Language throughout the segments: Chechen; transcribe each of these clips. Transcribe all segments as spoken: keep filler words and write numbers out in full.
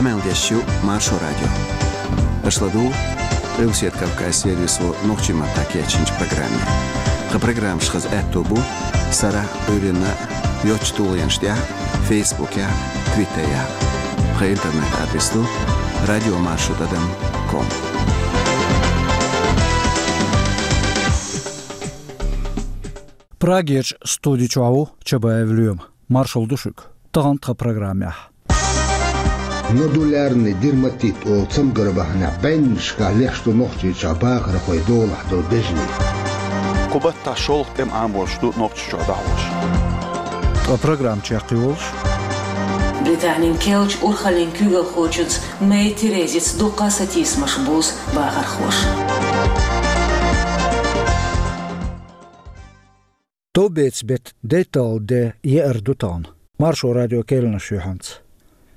Къамел деш ю Маршо радио. Аша ладугӀу Къилбаседа Кавказ сервисо нохчийн маттахь кечйинчу программе. Тхан программаш хаза аьтто бу сарахь, Ӏуьйранна йоцчу тулгӀенаш тӀехь, Фейсбукехь, Твиттерехь. Тхан интернет-адрес ду радио маршо тӀадам ком. Прагерчу студи чохь ву Чабаев Лоьма. Маршалла ду шуьга. Тахана тхан программехь. Нодулярный дерматит олу цамгар бахьанехь бӀеннашкахь леш ду Нохчийчохь бахархойн долахь долу бежанийн. Кху баттахь шолгӀа тӀеман Ӏамош ду Нохчийчохь дӀахьош. Ткъа программа чекхйолуш. Британин керлачу урхаллин куьйгалхочуьнца Мэй Терезица дуккха а сатийсамаш бузу бахархоша. Товбецан беттан дейтталгӀа де еара ду тахана. Маршо радион керланаш ю хьанца.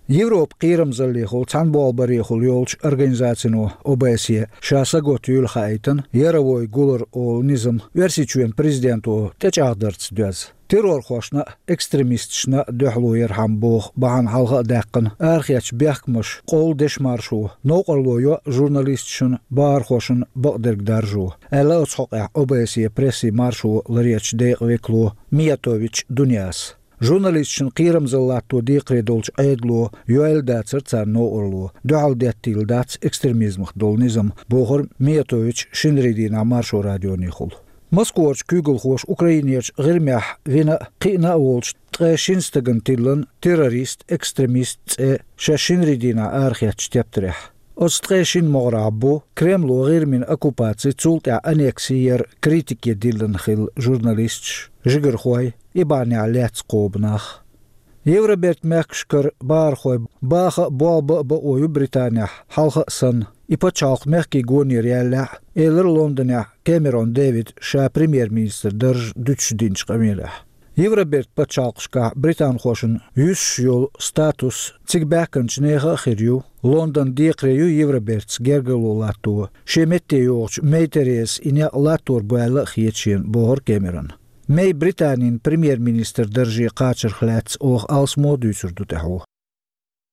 Европан кхерамзаллехула, цхьаьна болх барехула йолчу организацино О Б С Е ша сагатта юьллу хаийтина Яровой гулар олу низам Оьрсийчоьнан президенто тӀечӀагӀдарца доьзна. Террорхошна а, экстремисташна а дуьхьало ярхьама боху бахьана хьалха а даьккхина арахецначу бехкамаша къовла дешмаршо, новкъарло йо журналисташна, бахархошна бакъдерг даржо, аьлла оцу хьокъехь О Б С Е прессин маршо ларъечу декъан векало Миятович Дуняс. Журналисташна кхерамзалла латто декхаре долчу Ӏедало йойла дацара царна новкъарло, дуьхьал деттийла дац экстремизмах долу низам, бохура Миятовича шинарийн дийнахь Маршо радионехула. Москварчу куьйгалхоша Украинерчу ГӀирмехь вина а, кхиъна а волчу ткъе шина стагана тиллина террорист, экстремист цӀе шаьш шинарийн дийнахь арахецначу тептарехь. Оцу ткъе шина могӀарехь бу Кремло ГӀирмин оккупаци, цул тӀаьхьа аннекси яр критике диллина хилла журналисташ, жигархой, и бахьанехь лаьцна кхобу нах. Евробертан мехкашкара бахархой баха а, болх бан а бакъо ю Британехь, хьалха а санна, и пачхьалкх мехкийн гонера ялалехь а, элира Лондонехь Кэмерон Дэвида ша премьер-министран дарж дуьтуш динчу къамелехь. Евробертан пачхьалкхашкахь британхошна юьсуш йолу статус цига баьхкинчу нехан а хир ю. Лондон декхаре ю Евробертаца гергарло латто шен метте йогӀучу Мэй Терезас и некъ латтор бу аьлла а хета шена, бохура Кэмерона. Мэй Британин премьер-министран дарже кхачарх лаьцна оха алсамо а дуьйцур ду тӀаьхьо.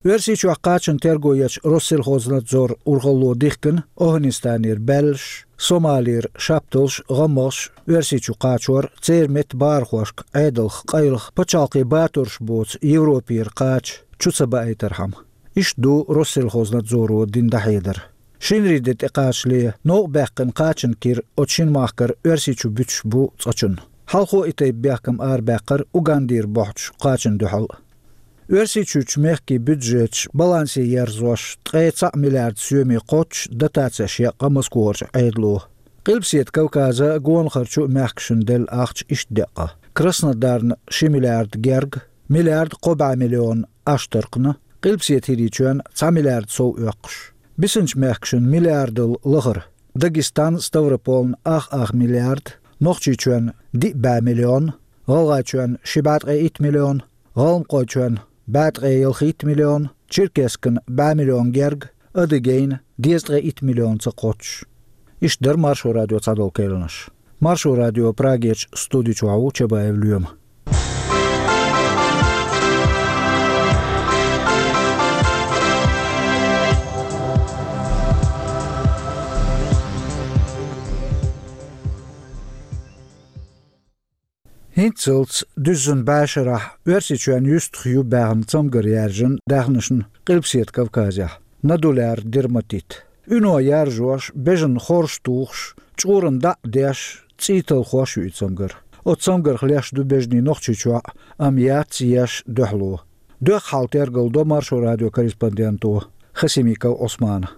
Оьрсийчохь кхачанан терго ечу Россельхознадзоран урхалло дихкина ОвхӀанистанера баьллаш, Сомалера шапталш, гӀаммагӀаш Оьрсийчу кхачор, церан метта бахархошка Ӏедалх къайлаха пачхьалкхийн батурш боцу Европера кхача чу ца баийтархьама. Иштта ду Россельхознадзоро дина дӀахьедар. Шинарийн де тӀекхачале новкъа баьккхина кхачанан кира оцу шина махкара Оьрсийчу буьтуш бу цкъачунна. Хьалхо и тайпа бехкам арабаьккхира Угандера бохьучу кхачанна дуьхьал а. Оьрсийчуьрчу мехкийн бюджеташ балансе ерзош, ткъе цхьаъ миллиард соьме кхоччуш дотацеш яьккха Москварчу Ӏедало. Къилбаседа Кавказан а, гонахарчу а мехкашна делла ахча иштта деъа. Краснодарна ши миллиард герга, миллиард кхо бӀе миллион Аштаркхна, Къилбаседа ХӀирийчоьнна цхьа миллиард сов оьккхуш. Бисинчу мехкашна миллиардал лахара: Дагестан, Ставрополна ах-ах миллиард, Нохчийчоьнна диъ бӀе миллион, ГӀалгӀайчоьнна ши бӀе ткъе итт миллион, ГӀалмакхойчоьнна бӀе ткъе ялхитта миллион, Черкесскана бӀе миллион герга, Адыгейна дезткъе итт миллионца кхоччуш. Иштта дара Маршо радион цхьадолу керланаш. Маршо радион Прагерчу студи чохь ву Чабаев Лоьма. ХӀинццалц дуьззина бӀешарахь Оьрсийчоьнна юьстах ю баьхна цамгар яьржина даьхнашна Къилбаседа Кавказехь, нодулярный дерматит. Уьно яржош, бежанна хорш тухуш, чкъурана дӀа а деш, цӀий талхош ю и цамгар. Оцу цамгарх леш ду бежанийн Нохчийчохь а, амма яц еш дуьхьало. Доьхна хьал тергалдо Маршо радион корреспонденто Хасимиков Ӏусмана.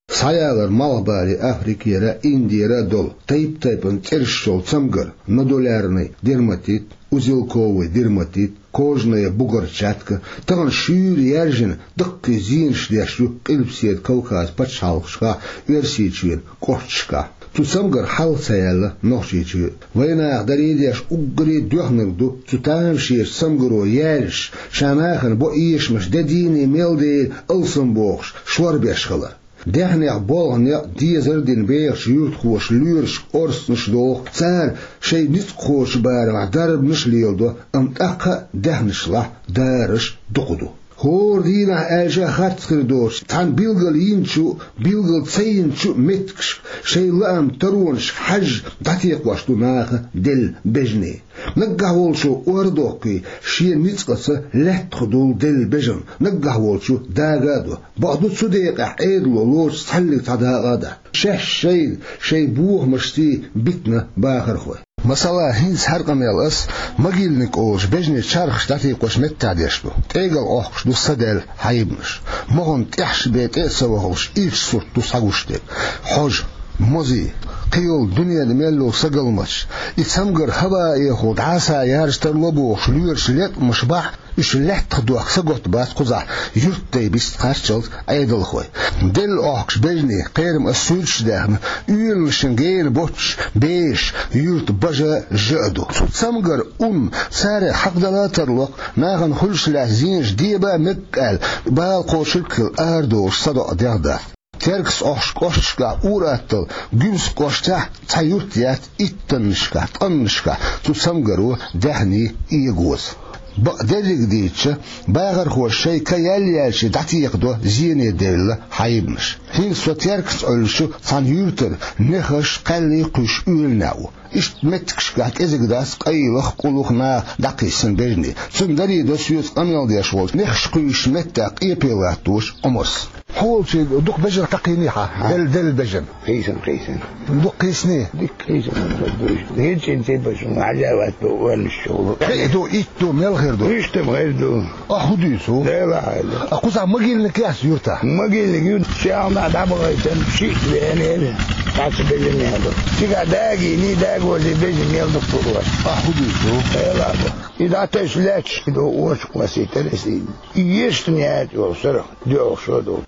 Схьаялар Малхбале, Африкера, Индера а долу тайп-тайпана цӀераш йолу цамгар, нодулярный дерматит, узелковый дерматит, кожная бугорчатка, тахана шуьйра яьржина, даккхий зенаш деш ю Къилбаседа Кавказан пачхьалкхашкахь, Оьрсийчоьнан кӀошташкахь. Цу цамгарх хьалха ца яьлла Нохчийчоь. Вайнаха даре а деш, уггаре а доьхнарг ду цу тамашийначу цамгаро яьржаш, ша нахана бо эшамаш де дийне мел дела алсам бохуш, шорбеш хилар. Даьхнех болх, некъ дезар а дина бехачу юьртахоша лоьрашка орцанаш а доху, цара шайн ницкъахочун барамехь дарбанаш а леладо, амма тӀаккха а даьхнашлахь дарарш дукха ду. ХӀора дийнахь аьлча харц хир доцуш, цхьана билгал йинчу, билгал ца йинчу меттигашка, шайн лаам таронашка хьаьжжа дӀатекхош ду наха делла бежане. Наггахь волчо ор а доккхий, шен ницкъаца лаьттах долу делла бежан наггахь волчо дага а до. Бакъду, цу декъехь Ӏедало лоцуш цхьаьллиг цхьа дакъа а дац. Шаьш шайна, шайн бохамашций битина бахархой. Масала, хӀинца хӀара къамел ас Могильник олучу бежанийн чархаш дӀатекхош меттехь деш ду. ТӀегал Ӏохкуш ду садаьлла хьайбанаш. Моханан тӀехь ши бен тӀе а ца вахалуш, ирча сурт ду схьагуш дерг. Хьожа, мозий, кхийолу дуьненан мел йолу сагалматаш, и цамгар хӀаваэхула дӀасаяржа тарло бохуш лоьраша леткъамаш бахь, уьш лаьттах дохка сагатта бац кхузахь юьртдай бист кхаччалц Ӏедалхой. Делла Ӏохкуш бежанийн кхерам ас суьйрташ даьхна, уьйланашна гена боццуш бешаш юьртан бажа жа а ду. Цу цамгар ун царех хьакхадала а тарло-кх, нахана хуьлуш лаьцна зенаш деба а мега аьлла, бала кхочург а хилла арадолуш садоӀа дегӀ дац. Теркаца Ӏохкучу кӀошташкахь ур-атталла Гуьмсан кӀоштахь цхьа юрт яц иттаннашкахь, ткъаннашкахь цу цамгаро даьхний эгоза. Бакъдерриг дийцича, бахархоша шайн ка яьлла-яьллачий дӀатекхадо зене девлла хьайбанаш. ХӀинца со Теркаца Ӏуьллучу цхьана юьртара нехаш, кхаьллий кхуьйсуш уьйланехь ву. Иштта меттигашкахь кӀезиг дац къайлаха, къуллуха наха дӀакхиссина бежанийн. Цунна даре до соьца къамел деш волчу нехаш кхуьйсучу меттехь къепе латтош Ӏумарс. Хьо волчу дукха бежан кхайкхийний хьан? Хьан? Делла, делла бежан. Кхийсина, кхийсина. Дукха кхийсиний? Дика кхийсина, ца дуьйш. ХӀинца ин цӀе баша хьажа вац бо уьллуш чухула. Кхин ду, итт ду, мел хир ду? Иштта-м хир ду. А хӀун дуьйцу? Дела хьайла. А кхузахь могильник яц юьртахь? Могильник юьртахь чехна дӀабахийтина, шиъ веана, цхьацца бежан ян ду. Цигахь дагийний, дагозе бежан мел дукха хир вац. А хӀун дуьйцу? Дела бо. И дӀатесна лаьтташ ду, очу кхоссийтара иза. И ешна яьлча йолу сарах дуьхьал шо ду.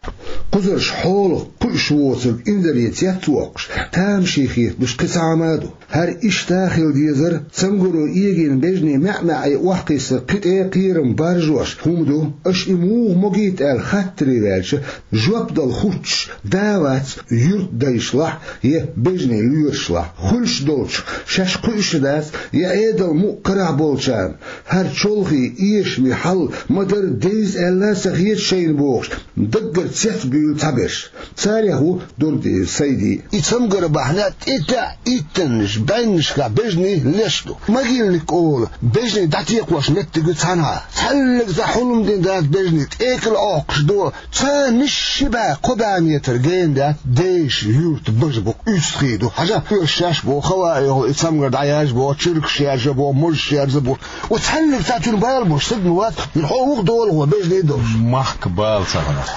Кхузарш хьолах кхуьуш воцург инзаре цец воккхуш, тамашийна хеталуш кхин цхьа хӀума а ду. ХӀара иштта хила дезара, цамгаро эгийна бежанийн маьӀ-маьӀӀе охьакхиссар кхин тӀе кхерам баржош хӀума ду. Аша и муха могийта аьлла хаттаре ваьлча, жоп дала хӀуттуш да а вац юьртдайшлахь я бежанийн лоьрашлахь. Хуьлуш долчух шаьш кхуьуш а дац, я Ӏедал мукъа карахь болчарна. ХӀара чолхе эшаме хьал ма-дарра девза аьлла а ца хета шайна бохуш, даггара цецбуьйлу цхьаберш. Царех ву Дурдиев Сайди. И цамгар бахьана тӀе-тӀе а иттаннаш, бӀеннашкахь бежанийн леш ду. Могильник олу бежанийн дӀатекхош меттиг ю цхьанхьа. Цхьаьллиг цхьа хьулам дина дац бежанийн, тӀекӀал Ӏохкуш ду. Царна ши бӀе, кхо бӀе метр гена дац дешан юьртан бажа бу, уьстагӀий ду. Хьажа, уьш шаьш боху, хӀаваэхула и цамгар дӀаяьржа боху, чуьркаш яьржа боху, мозаш яьржа боху. Оцу цхьаьллиг цхьа цуьнан бала болуш стаг ма вац, хьо вуха долахь ван бежанийн долуш. Махка бала ца хилар.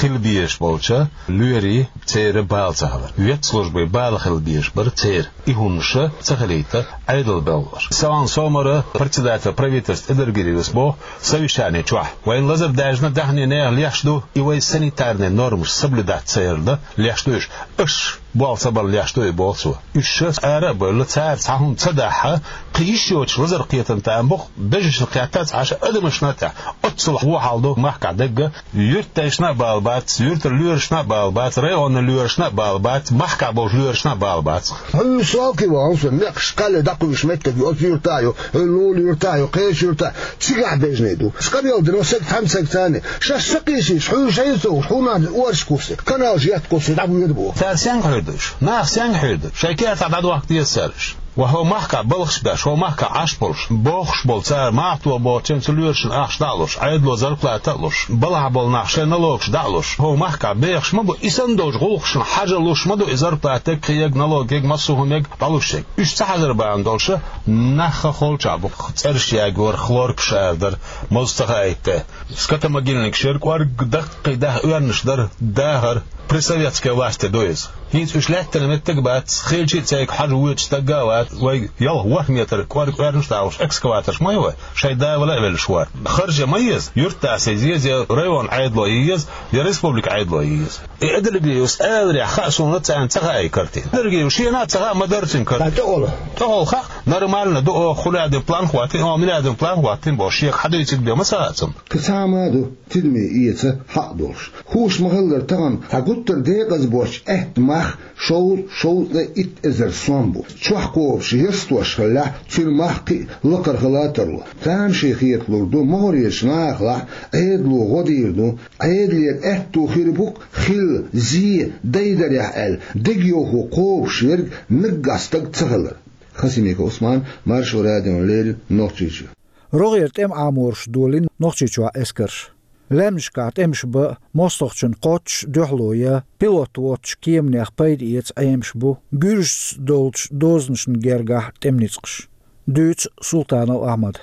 Хила безаш болчу лоьрийн церан бала ца хилар. Ветслужбин бала хила безаш бара церан. И хӀуманаш ца хилийта Ӏедал белхалаш. Саван Сомара, председатель правительства Эдергириус боху, совещани чохь. Вайн лазар даьржина даьхни нехан леш ду, и вай санитарный нормаш соблюдать ца ярна леш ду уьш. Аша болх ца барна леш ду и боху цо. Уьш ара а бевлла, цара цхьа хӀума ца дахь, кхин йиш йоцуш лазар кхетам тӀе ма бу-кх, бежанашна кхетта а ца Ӏаш, адамашна а тӀе. Оццул вон хьал ду махкахь дерг. Юьртдайшна а бала бац, юьртара лоьрашна а бала бац, районан лоьрашна а бала бац, махкахь болчу лоьрашна а бала бац. Хьуьйсу алкхи вахана со, некхаш кхаьлле дӀакхуьйсуш меттиг ю, оцу юьртахь ю, хӀу лулу юьртахь ю, кхечу юьртахь, цигахь бежанийн ду. Ша къамел дина, сан цхьаьна ца гина царна. Шаьш ца кхийсийча, хьуьйсу шайна ца вуш, хьуна а орш кхуссий, каналаш етта кхуссий, дӀавоьду боху. Цара сенга хьуьйр ду уьш? Нах сенга хьуьйр ду? Шайн кертахь дӀадохка деза цара уьш. Ва хӀо махкахь балхаш беш, хӀо махкахь Ӏаш болуш, бохуш болу цара махкало боцченца лоьрашна ахча дӀа а луш, Ӏедало зарплата а луш, балхахь болу нах шайн налогаш дӀа а луш, хӀо махкахь бехаш ма бу, и санна долчу гӀуллакхашна хьажа луш ма ду и зарплата, кхиерг, налог ерг, массо а хӀума ерг дӀалуш ерг. Уьш ца хьажар бахьана долуш, нах холчахь бу, цӀераш ягор, хлоркаш арадар, моза ца хаийта. Скотомогильникаш яра, кӀорг даккхий даха оьрнаш дара, дахар, при советской власти ду иза. ХӀинца уьш лаьттина меттиг а бац, хилча а цайга хьажа воьдуш стаг а вац, вай ялх ворхӀ метр кӀорг оьрнаш а дахуш, экскаваторш ма ю вай, шайн да вала а веллаш вара. Харж а ма еза, юьртда сийза еза, я район Ӏедало еза, я республика Ӏедало еза. И Эдергириус аларехь хаьа суна, царна ца хаьа и картина. Эдергириус шена а ца хаьа, ма-дарра цуьнан картина. ТӀехула. ТӀехула хаьа, Нормально ду оха хуьлаьдина план хӀоттийна, оха милаьдина план хӀоттийна бохуш, шега хьадуьйцург бен ма ца хаьа цунна. Кхин цхьа а ма ду, тидаме эца хьакъ долуш. Хууш ма-хиллара, тахана хьан гуттар а декъаза боцчу аьттан мах шовзткъа, шовзткъе итт эзар сом бу. Чохь кхобуш ярстош хиллехь, цуьнан мах кхин а лакхара хила а тарло. Тамашийна хеталур ду, могӀарерчу нахалахь Ӏедало гӀо дийр ду, Ӏедалера аьтто хир бу-кх хилла, зе, дайдарехь аьлла, дегайовхо кхобуш верг наггахь стаг ца хилар. Хасимиков Ӏусман, Маршо радиона леррина, Нохчийчоь. РогӀера тӀеман Ӏамораш долийна Нохчийчохь эскарша. Лаьмнашкахь тӀемаш бан, мостагӀчун кхоччуш дуьхьало ян, пилот воцучу кеманех пайда эца Ӏемаш бу гуьржашца долчу дозанашна гергахь тӀеман ницкъаш. Дуьйцу Султанов Ахьмада.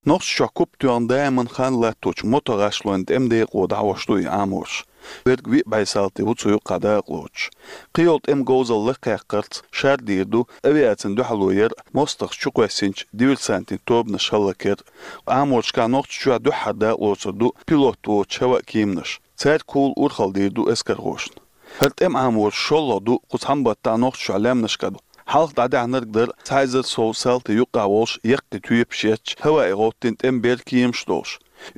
Нохчийчохь куп тоьхна даиман хан латточу мотогӀашлойн тӀеман декъо дӀахьош ду и Ӏамораш. Верг виъ бӀе салти ву цу юккъехь дакъалоцуш. Кхийолу тӀеман говзалла лакхаяккхарца шардийр ду авиацина дуьхьало яр а, мостагӀаш чукхоьссинчу диверсантийн тобанаш хӀаллакъяр а. Ӏаморашкахь Нохчийчохь дуьххьара дакъалоцур ду пилот воцучу хӀаваан кеманаш. Цаьрга хьула урхалла дийр ду эскархошна. ХӀара тӀеман Ӏамораш шолгӀа ду кху цхьана баттахь Нохчийчохь лаьмнашкахь. Хьалха дӀадаьхьнарг дара цхьа эзар сов салти юккъехь волуш яккхий тоьпаш етташ, хӀаваан гӀовттийна тӀеман бер кеманаш долуш.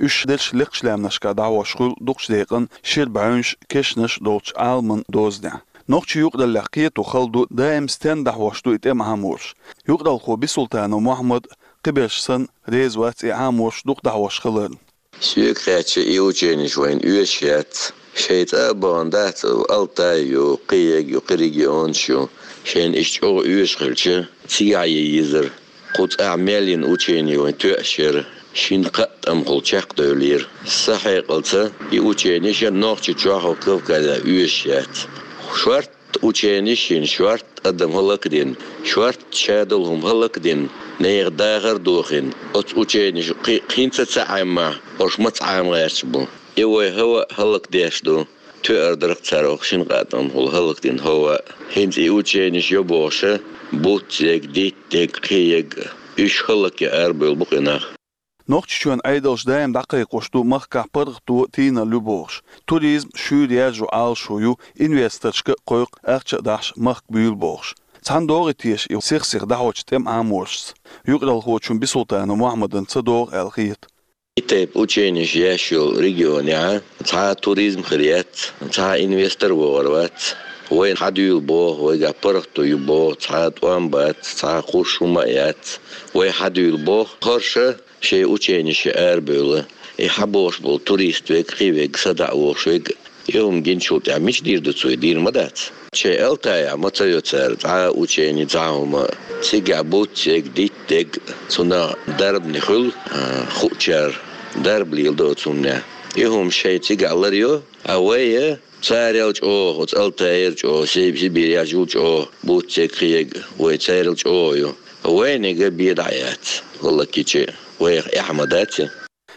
Уьш дерш лекхачу лаьмнашкахь дӀахьош хуьлу дукхачу декъана шира бӀаьвнаш, кешнаш долчу Ӏаламан дозанехь. Нохчийн юкъараллехь кхето хала ду, даим стенна дӀахьош ду и тӀеман Ӏамораш. Юкъаралхо Бисултанов Мохьмад, кхиберш санна, реза вац и Ӏамораш дукха дӀахьош хиларна. Соьга хаьттича, и ученеш вайна оьшуш яц. Шайн цӀа а бахана дац Алтай ю, кхин ерг ю, кхин регионаш ю. Шайна иштта чӀогӀа оьшуш хилча, цигахь ян езара. Кху цӀахь мел йина учени вайн тоьаш яра. Шина-кхаа тӀамхула чекхдевллера. Сан хьекъалца, и ученеш а Нохчийчохь а, Кавказехь а оьшуш яц. Шорта ученеш йина, шорта адам хӀаллакдина, шорта ша долу хӀума хӀаллакдина, нехан дахар а дохийна. Оцу ученеша кхин, кхин ца, ца Ӏеммахь, уьш маца Ӏема гӀерташ бу. И вай хӀаваан а хӀаллакдеш ду. Тоьар дара-кх цара оха шина-кхаа тӀамхула хӀаллакдина хӀаваан а. ХӀинца и ученеш йо бохуш а, буц ерг, дитт ерг, кхин ерг, уьш хӀаллакъян арабевлла бу-кх и нах. Нохчийчоьнан Ӏедалш даим дӀакхайкхош ду махкахь паргӀато, тийналла ю бохуш. Туризм шуьйра яржо Ӏалашо ю, инвесторшка а кхойкху ахча а дахьаш махка буьйлу бохуш. Цхьана догӀий теша и сих-сиха дӀахьочу тӀеман Ӏаморашца? Юкъаралхочун Бисултанов Мохьмадан ца догӀу аьлла хета. И тайпа ученеш еш йолу регионехь цхьа а туризм хир яц, цхьа а инвестор вогӀур вац. Вайна хьадуьйла боху, вайгахь паргӀато ю боху, цхьа а тӀом бац, цхьа а кхуьссуш хӀума а яц. Вай хьадуьйла боху, хӀорш а шайн ученешца арабевлла. И хьабогӀуш болу турист верг, кхин верг, садаӀа вогӀуш верг, и хӀума гиначул тӀаьхьа мича дийр ду цо, дийр ма дац. Шайн Алтайхь ма ца йо цара цхьа а учени, цхьа а хӀума. Цигахь буц ерг, дитт ерг, цунах дарбане хуьлу, а, хуучара дарба леладо оцу хӀуманехь. И хӀума шайн цигахь лар йо, а вай а царел чӀогӀа, оцу Алтайера чӀогӀа, Си-, Сибирехь жуьгтий чӀогӀа, буц ерг, кхин ерг, вай царел чӀогӀа ю. Вайниг а бен дӀа а яц, хӀаллакйича а, вайх эхь ма дац и.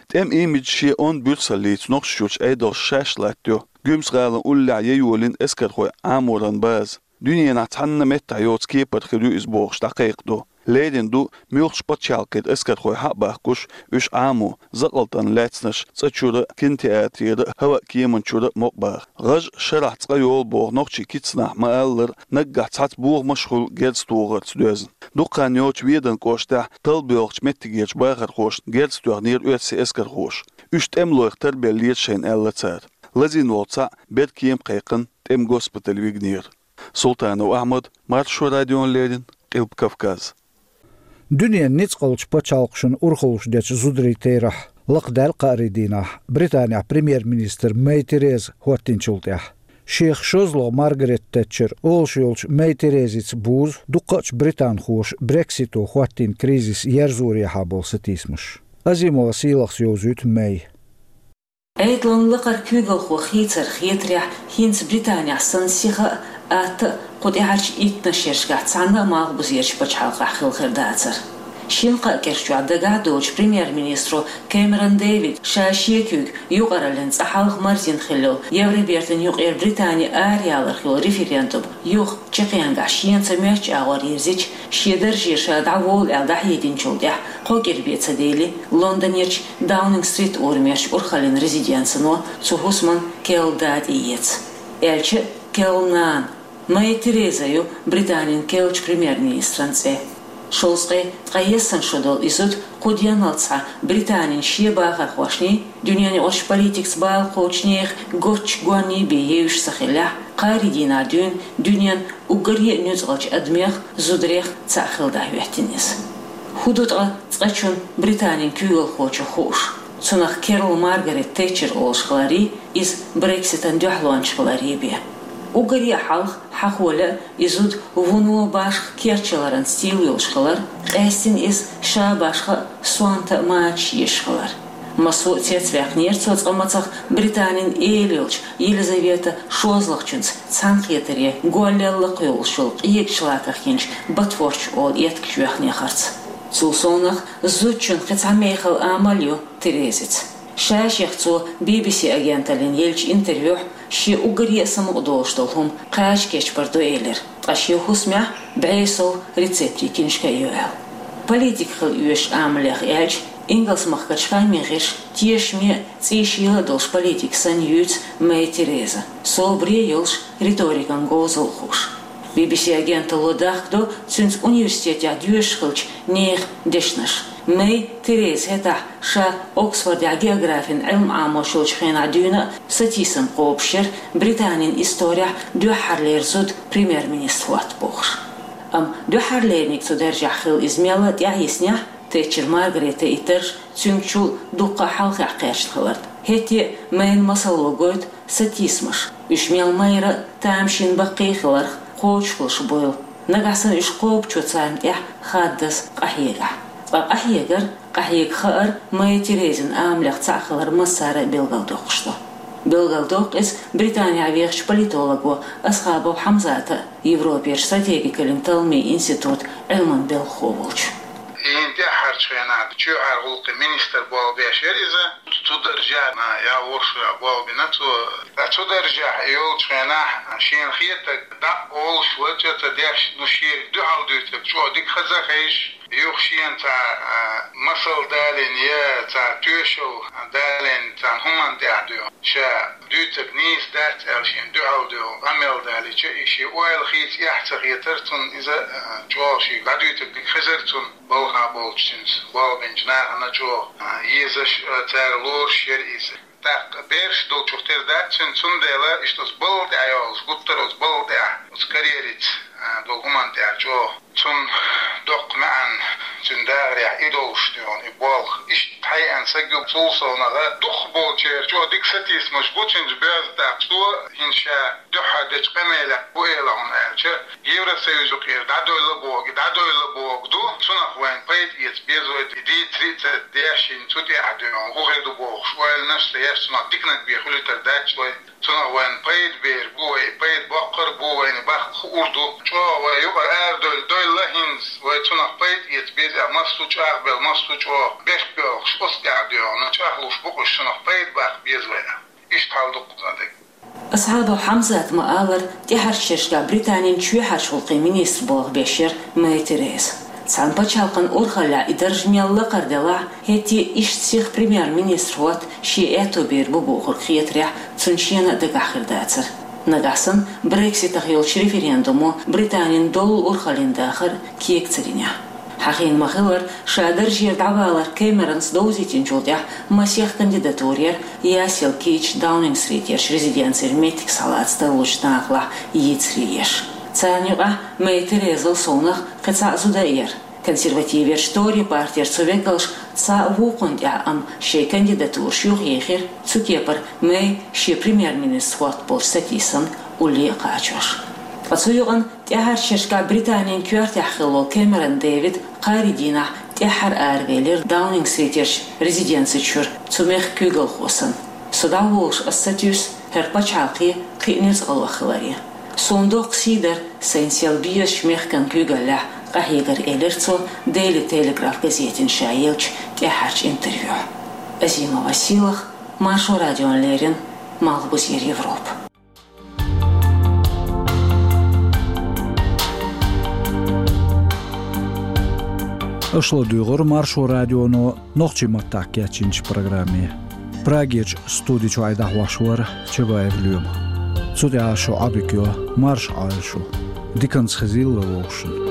ТӀеман имидж шен онда буьрсаллица Нохчийчуьрчу Ӏедалша шаьш латтайо. Гуьмсан-гӀалин уллехь ян йолийна эскархойн Ӏаморан база. Дуьненахь цхьанна меттехь йоцу кепара хир ю иза бохуш дӀакхайкхадо. Леррина ду муьлххачу пачхьалкхера эскархой хьа а бахкуш, уьш Ӏамо, закъалтана лаьцнарш цӀа чуьра а, кинотеатрера а, хӀаваан кеман чуьра а мукъабаха. ГӀаж шарахь цкъа йолу боху нохчийн кицнахь ма-аллара, наггахь цхьацца бохамаш а хуьлу герз тухарца доьзна. Дукха хан йоццуш Веданан кӀоштахь талла боьлхучу меттигерчу бахархошна герз тоьхнера оьрсийн эскархоша. Уьш тӀемалойх тарбеллера шайна, аьлла цара. Лазийна волу цхьаъ бер кема кхайкхина тӀеман госпитале вигнера. Султанов Ахьмад, Маршо радиона леррина, Къилба Кавказ. Дуьненан ницкъалчу пачхьалкхашна урхаллаш дечу зударийн терахь лакхадаьлла кхаарийн дийнахь Британехь премьер-министр Мэй Тереза хӀоттийначул тӀаьхьа. Шех шозлагӀа Маргарет Тэтчер олуш йолчу Мэй Терезица бузу дуккхачу британхоша Брексито хӀоттийна кризис ерзорехьа болу сатийсамаш. Азимова Сийлахьас йовзуьйту Мэй. Ӏедалан лакхара куьйгалхо хийцаран хетарехь, хӀинца Британехь санна сиха а, атта а кху тӀаьхьарчу итт-шерашкахь цхьанна а малхбузерчу пачхьалкхахь хилла хир дацара. Шина-кхаа кӀирчохь дагахь а доцуш премьер-министро Кэмерон Дэвида ша шен куьйга юкъараллин цӀа хьалха марзйина хилла йолу Евробертан юкъера Британи арахьаларх йолу референдум юха чекхенгахь шена ца моьттучу агӀор йирзича, шен даржера ша дӀаволу аьлла дӀахьединчул тӀаьхьа кхо кӀира бен ца девлла, Лондонерчу Даунинг-стрит урамерчу урхаллин резиденцино цу хӀусаман керла да тӀеэца. Аьлча а керла нана. Мэй Тереза ю Британин керлачу премьер-министран цӀе. Шовзткъе ткъаесна шо долу и зуда кху денал цхьа Британин шен бахархошний, дуьненаюкъарчу политикаца бала кхочушнех гоччу гонний бен евзаш ца хиллехь, кхаарин дийнахь дуьйна дуьненан уггаре а нуьцкъалчу адамех, зударех цхьаъ хила дӀахӀоьттина иза. ХӀун ду ткъа цкъачунна, Британин куьйгалхочунна хууш? Цунах Кэрол Маргарет Тэтчер олуш хиларий, иза Брекситан дуьхьалонча хиларий бен. Уггаре а хьалха, хьахо лаьа, и зуда вуно, башха керчаларан стил йолуш хилар, къаьстина иза ша башха а, сонта а мачаш езаш хилар. Массо а цецваьккхинера цо цкъа мацах Британин эла йолчу Елизавета шозлагӀчуьнца цхьаьнакхетаре голлел лакхаволуш йолу къегачу лаках йинчу ботфордаш олу еттигаш йоьхнехарца. Цул совнаха, зудчун кхин цхьа мехала амал ю Терезица. Ша-шех цо Би-Би-Си агенталлина еллачу интервьюхь шен уггаре а самукъадолуш долу хӀума кхача кечбар ду элира, ткъа шен хӀусамехь бӀе сов рецептийн киншка а ю аьлла. Политик хила оьшуш амалех аьлча, Ингалс-махкарчу хаамийн гӀирсаша тешаме а, цӀийшийла а долуш политик санна юьйцу Мэй Тереза, собаре а йолуш, риторикан говзалла хууш. Би-Би-Си агенталло дахкадо цуьнца университетехь доьшуш хиллачу нехан дешнаш. Мэй Тереза хӀетахь, ша Оксфордехь географин Ӏилма Ӏамош йолчу хенахь дуьйна а, сатийсам кхобуш яра Британин исторехь дуьххьарлера зуда премьер-министр хӀотта бохуш. Амма дуьххьарлерниг цу даржехь хилла иза мелла а тӀаьхьайиснехь, Тэтчер Маргаретан и дарж цуьнгачул дуккха а хьалхехь кхерчна хиларна. ХӀетте а Мэйн масало гойту сатийсамаш, уьш мел майра а, тамашийна баккхий а хиларх кхочушхуьлуш буйла. Нагахь санна уьш кхобучо царна тӀехь хаддаза къахьегахь. Ткъа къахьегар, къахьега хаар Мэй Терезин амалех цхьаъ хилар массара а билгалдоккхуш ду. Билгалдоккху иза Британехь вехачу политолого Асхабов Хьамзата а, Европерчу стратегикаллин талламийн институтан Ӏилманан белхахо волчу. ХӀинца тӀаьххьарчу хенахь чоьхьара гӀуллакхийн министр болх беш яра иза. Цу даржехь, а, я вовшах болх бина цо. Ткъа цу даржехь йолчу хенахь шена хетарг дӀа а олуш, вача а ца деш, ну, шега дуьхьал дуьйцург чӀогӀа дика хаза а хезаш, юха шена цхьа, а, масал далийна я цхьа тоьшалл далийна цхьана хӀуманна тӀехь дуьйна. Ша дуьйцург нийса дац аьлла шена дуьхьал дуьйна къамел далийча, и шен ойла хийца эхь ца хетара цунна иза, а, чӀогӀа шега дӀадуьйцург дика хезара цунна. Балха болчу цуьнца болх бинчу нахана чӀогӀа, а, езаш, а, цара лоруш яра иза. ТӀаккха бераш долчух тера дац цуьнан, цундела иштта оцу балла тӀехь йолуш, гуттар а оцу балла тӀехь, оцу карьерица, а, долу хӀуманна тӀехь чӀогӀа. Цунна доккха маьӀна, цуьнан дахарехь и долуш дуьйна, и болх. Иштта хьайеана саг ю, цул совнаха дукхахболчеран чӀогӀа дика сатийсамаш бу цуьнца боьзна. ТӀаккха цо хӀинца ша дуьххьара дечу къамелехь хӀун эла хьуна аьлча, Евросоюзо кхера дӀадойлла а боху, дӀадойлла а боху ду, цунах вайна пайда эца беза вай, дийцаре а ца деш, цу тӀехь дуьйна хӀун хир ду бохуш, ойланаш а ца еш, цунах диканиг бен хуьлуьйтур дац вай, цунах вайна пайда бер бу вай, пайда боккхур а бу вайна, баккха хуур ду. ЧӀогӀа вай юкъара арадойлла, дойлла хӀинца, вай цунах пайда эца беза, массо а чӀагӀбелла, массо а чӀогӀа бехк боьлхуш, оцу тӀехь дуьйна чӀагӀлуш бу-кх уьш, цунах пайда баккха беза вай. Иштта хьал ду-кх кхузан дерг. Асхабов Хьамзата ма-аллара, тӀаьххьарчу шерашкахь Британин чоьхьарчу гӀуллакхийн министр болх беш яра Мэй Тереза. Цхьана пачхьалкхан урхаллехь и дарж мел лакхара делахь а, хӀетте а иштта сиха премьер-министр хӀотта шен аьтто бийр бу бохург хетарехь, цунна шена а дагахь хир дацара. Нагахь санна Брекситах йолчу референдумо Британин доллу урхаллин дахар кега ца динехь. Хьахийна ма-хиллара, ша даржера дӀавалар Кэмеронс довзийтинчул тӀаьхьа масех кандидатура яра ясъяла кийча Даунинг-стритера резиденцера меттиг схьалаца тарлучу нахалахь йийцаре еш. Царна юкъахь Мэй Терезал совнаха кхин цхьа а зуда а яра. Консервативерчу Тори партера цу векалша цхьа а вукхунна тӀехь, амма шайн кандидатураш юхаехира, цу кепара Мэй шен премьер-министр хӀотта болчу сатийсамна улле а кхачош. Ткъа цу юкъана тӀаьххьарчу шерашкахь Британин коьртехь хилла волу Кэмерон Дэвид кхаарин дийнахь тӀаьххьара аравелира Даунинг-стритерчу резиденци чуьра цу мехкан куьйгалхо санна. Со дӀаволуш ас сатуьйсу хӀара пачхьалкхе кхин а нуьцкъалох хиларе. Суна доккха сий дара сайна сел безачу мехкан куьйгаллехь къахьегар, элира цо Daily Telegraph газетина ша еллачу тӀаьххьарчу интервьюхь. Азима Василах, Маршо радиона леррина, Малхбузера Европа. Аша ладуьйгӀира Маршо радионо нохчийн маттахь кечйинчу программе. Прагерчу студи чуьра дӀахьош вара Чабаев Лоьма. Цу тӀехь шу Ӏодика йо, марша Ӏойла шу. Диканца хезийла вовшашна.